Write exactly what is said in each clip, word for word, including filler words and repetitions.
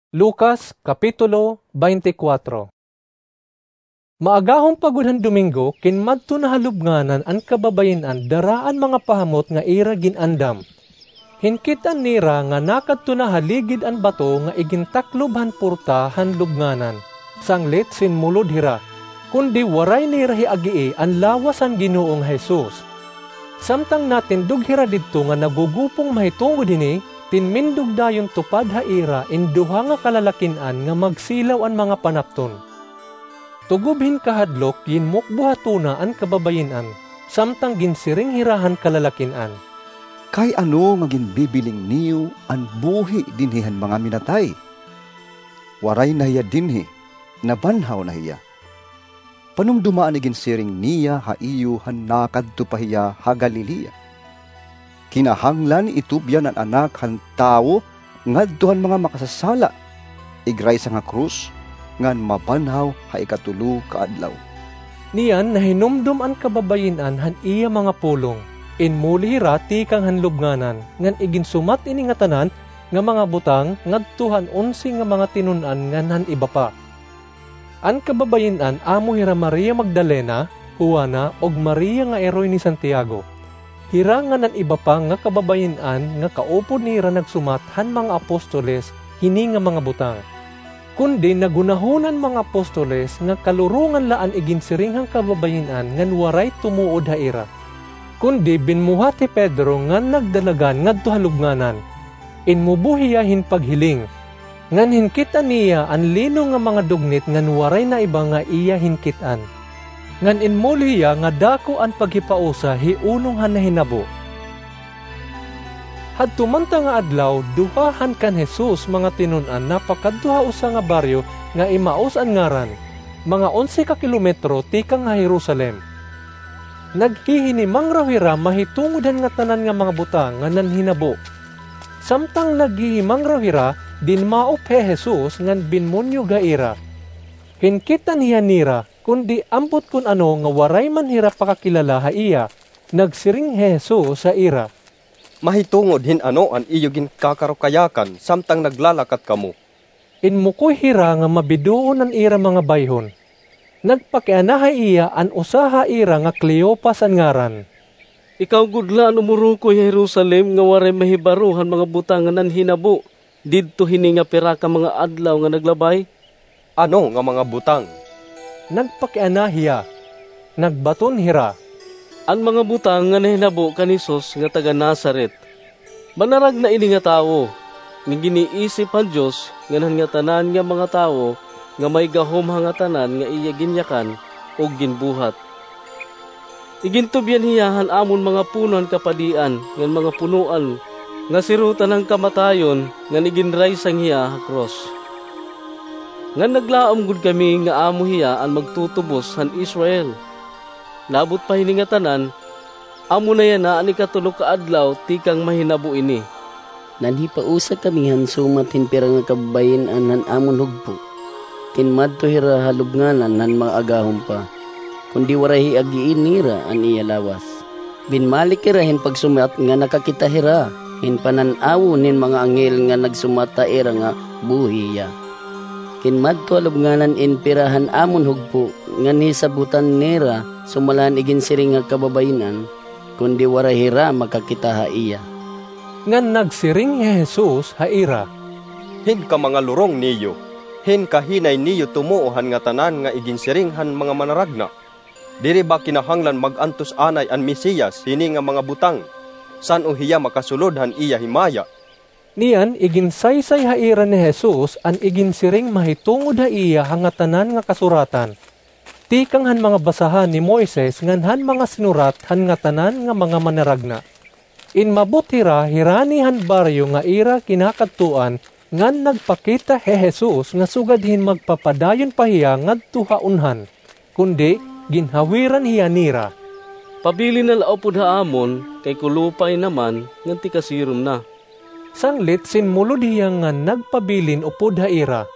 Lucas, Kapitulo twenty-four. Maagahon pa gud han Domingo, kinmadto na ha lubnganan an kababayin-an dara an mga pahamot nga ira gin-andam. Hinkit-an nira nga nakadto na ha ligid an bato nga igintaklob han porta han lubnganan, sanglit sinmulod hira, kundi waray nira hiagii an lawas han Ginoo nga Jesus. Samtang natindog hira didto nga nagugupong mahitungod hini, tinmindog dayon tupad ha ira in duha nga kalalakin-an nga magsilaw an mga panapton. Tugob hin kahadlok, ginmukbo ha tuna an kababayin-an, samtang ginsiring hira han kalalakin-an, "Kay ano nga ginbibiling niyo an buhi dinhi han mga minatay? Waray na hiya dinhi, nabanhaw na hiya. Panumdoma an iginsiring niya ha iyo han nakadto pa hiya ha Galilea. Kinahanglan itubyan an Anak han Tawo ngadto han mga makasasala, igraysa ha krus, ngan mabanhaw ha ikatulo ka adlaw." Niyan nahinumdom an kababayin-an han iya mga pulong. Inmuli hira tikang han lubnganan, ngan iginsumat ini ngatanan nga mga butang ngadto han onse nga mga tinun-an ngan han iba pa. An kababayin-an amo hira Maria Magdalena, Juana, ug Maria nga iroy ni Santiago. Hira ngan an iba pa nga kababayin-an nga kaupod nira nagsumat han mga apostoles hini nga mga butang. Kundi naghunahuna an mga apostoles nga kalurongan la an iginsiring han kababayin-an ngan waray tumuod ha ira. Kundi binmuhat hi Pedro ngan nagdalagan ngadto ha lubnganan. Inmubo hiya hin paghiling. Ngan hinkit-an niya an lino nga mga dugnit ngan waray na iba nga iya hinkit-an. Ngan inmuli hiya nga dako an paghipausa hi unong han nahinabo. Hadto man ta nga adlaw, duha han kan Jesus mga tinun-an napakadto ha usa nga baryo nga Emaus an ngaran, mga onse ka kilometro tikang ha Jerusalem. Naghihinimangraw hira mahitungod han ngatanan nga mga butang nga nanhinabo. Samtang naghihimangraw hira, dinmaop hi Jesus ngan binmunyog ha ira. Hinkit-an hiya nira, kundi ambot kon ano nga waray man hira pakakilala ha iya. Nagsiring hi Jesus ha ira, "Mahitungod hin ano an iyo ginkakarukayakan samtang naglalakat kamo?" Inmukoy hira nga mabidoon an ira mga bayhon. Nagpakiana ha iya an usa ha ira nga Cleopas an ngaran, "Ikaw gud la an umurukoy ha Jerusalem nga waray mahibaro han mga butang nga nanhinabo didto hini nga pira ka mga adlaw nga naglabay?" "Ano nga mga butang?" nagpakiana hiya. Nagbaton hira, "An mga butang nga nahinabo kan Jesus nga taga-Nazaret. Manaragna ini nga tawo, nga giniisip han Dios ngan han ngatanan nga mga tawo nga may gahom ha ngatanan nga iya ginyakan ug ginbuhat. Igintubyan hiya han amon mga puno han kapadian ngan mga punoan nga sirotan han kamatayon ngan iginraysang hiya ha krus. Ngan naglaom gud kami nga amo hiya an magtutubos han Israel. Labot pa hini ngatanan, amo na yana an ikatulo ka adlaw tikang mahinabo ini." Nanhipausa kami han sumat hin pira nga kababayin-an han amon hugpo. Kinmadto hira ha lubnganan han maagahon pa, kundi waray hiagii nira an iya lawas. Binmalik hira hin pagsumat nga nakakita hira hin panan-awon hin mga anghel nga nagsumat ha ira nga buhi hiya. Kinmadto ha lubnganan in pira han amon hugpo, ngan hisabotan nira sumala han iginsiring ha kababayin-an, kundi waray hira makakita ha iya. Ngan nagsiring hi Jesus ha ira, "Hin kamangalurong niyo, hin kahinay niyo tumuo han ngatanan nga iginsiring han mga manaragna? Diri ba kinahanglan mag-antos anay an Mesiyas hini nga mga butang? San-o hiya makasulod han iya himaya?" Niyan, iginsaysay ha ira ni Jesus an iginsiring mahitungod ha iya ha ngatanan nga kasuratan, tikang han mga basahan ni Moises ngan han mga sinurat han ngatanan nga mga manaragna. Inmabot hira hirani han baryo nga ira kinakadtuan, ngan nagpakita hi Jesus nga sugad hin magpapadayon pa hiya ngadto ha unhan, kundi ginhawiran hiya nira, "Pabilin na la upod ha amon, kay kulupay na man ngan tikasirom na." Sanglit sinmulod hiya ngan nagpabilin upod ha ira.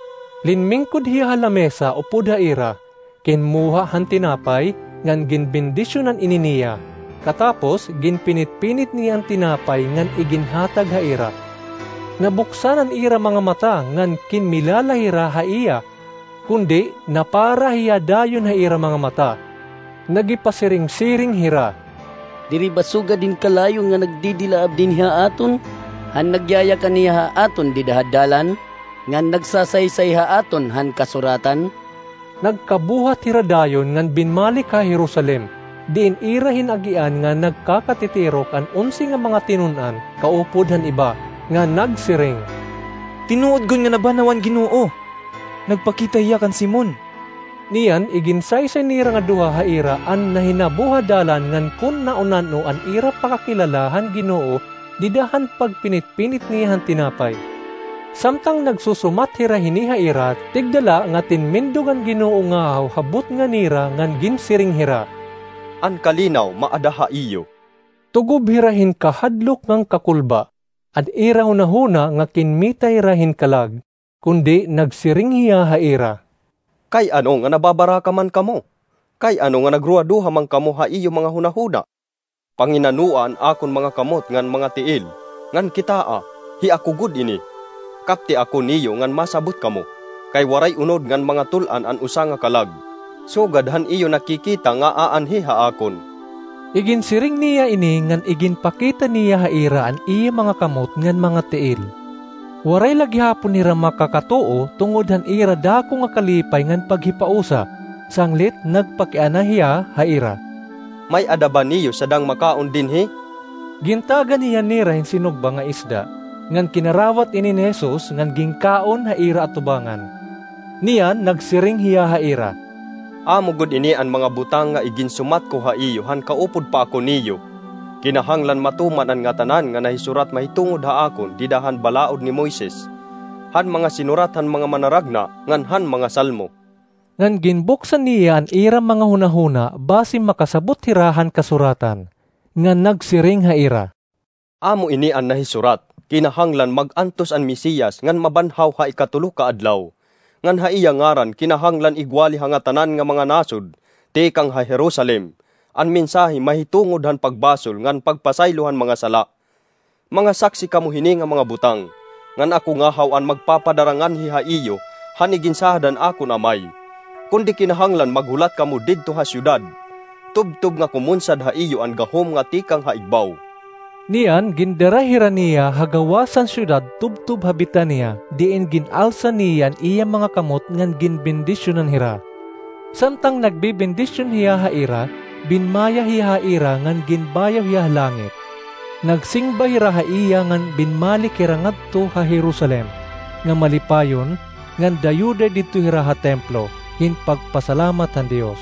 Linmingkod hiya ha lamesa upod ha ira, kinmuha han tinapay, ngan ginbendisyonan ini niya. Katapos, ginpinit-pinit niya an tinapay ngan iginhatag ha ira. Nabuksan an ira mga mata ngan kinmilala hira ha iya, kundi napara hiya dayon ha ira mga mata. Nagipasiring-siring hira, "Diri ba sugad hin kalayo nga nagdidilaab dinhi ha aton, han nagyayakan hiya ha aton dida ha dalan, ngan nagsasaysay ha aton han Kasuratan?" Nagkabuhat hira dayon ngan binmalik ha Jerusalem, diin ira hin-agian nga nagkakatitirok an onse nga mga tinun-an kaupod han iba, nga nagsiring, "Tinuod gud nga nabanhaw an Ginoo. Nagpakita hiya kan Simon." Niyan, iginsaysay nira nga duha ha ira an nahinabo ha dalan ngan kon naon-ano an ira pakakilala han Ginoo dida han pagpinit-pinit niya han tinapay. Samtang nagsusumat hira hini ha ira, tigda la nga tinmindog an Ginoo ngahaw ha butnga nira ngan ginsiring hira, "An kalinaw maada ha iyo." Tugob hira hin kahadlok ngan kakulba. An ira hunahuna nga kinmita hira hin kalag, kundi nagsiring hiya ha ira, "Kay ano nga nababaraka man kamo? Kay ano nga nagruhaduha man kamo ha iyo mga hunahuna? Panginanoa an akon mga kamot ngan mga tiil, ngan kitaa, hi ako gud ini. Kapti ako niyo ngan masabot kamo, kay waray unod ngan mga tul-an an usa nga kalag, sugad han iyo nakikita nga aanhi ha akon." Iginsiring niya ini ngan iginpakita niya ha ira an iya mga kamot ngan mga tiil. Waray la gihapon hira makakatuo tungod han ira dako nga kalipay ngan paghipausa, sanglit nagpakiana hiya ha ira, "May-ada ba niyo sadang makaon dinhi?" Gintagan hiya nira hin sinugba nga isda, ngan kinarawat ini ni Jesus ngan ginkaon ha ira atubangan. Niyan nagsiring hiya ha ira, "Amo gud ini an mga butang nga iginsumat ko ha iyo han kaupod pa ako niyo. Kinahanglan matuman an ngatanan nga nahisurat mahitungod ha akon dida han balaod ni Moises, han mga sinurat han mga manaragna, ngan han mga Salmo." Ngan ginbuksan niya an ira mga hunahuna basi makasabot hira han Kasuratan, ngan nagsiring ha ira, "Amo ini an nahisurat, 'Kinahanglan mag-antos an Mesiyas ngan mabanhaw ha ikatulo ka adlaw, ngan ha iya ngaran kinahanglan igwali ha ngatanan nga mga nasod tikang ha Jerusalem an mensahe mahitungod han pagbasol ngan pagpasaylo han mga sala.' Mga saksi kamo hini nga mga butang, ngan ako ngahaw an magpapadara nganhi ha iyo han iginsahad han akon Amay. Kundi kinahanglan maghulat kamo didto ha syudad, tubtob nga kumunsad ha iyo an gahom nga tikang ha igbaw." Niyan gindara hira niya ha gawas han syudad tubtob ha Betania, diin gin-alsa niya an iya mga kamot ngan ginbendisyonan hira. Samtang nagbebendisyon hiya ha ira, binmaya hiya ha ira ngan ginbayaw hiya ha langit. Nagsingba hira ha iya ngan binmalik hira ngadto ha Jerusalem, nga malipayon, ngan dayuday didto hira ha templo, hin pagpasalamat han Dios.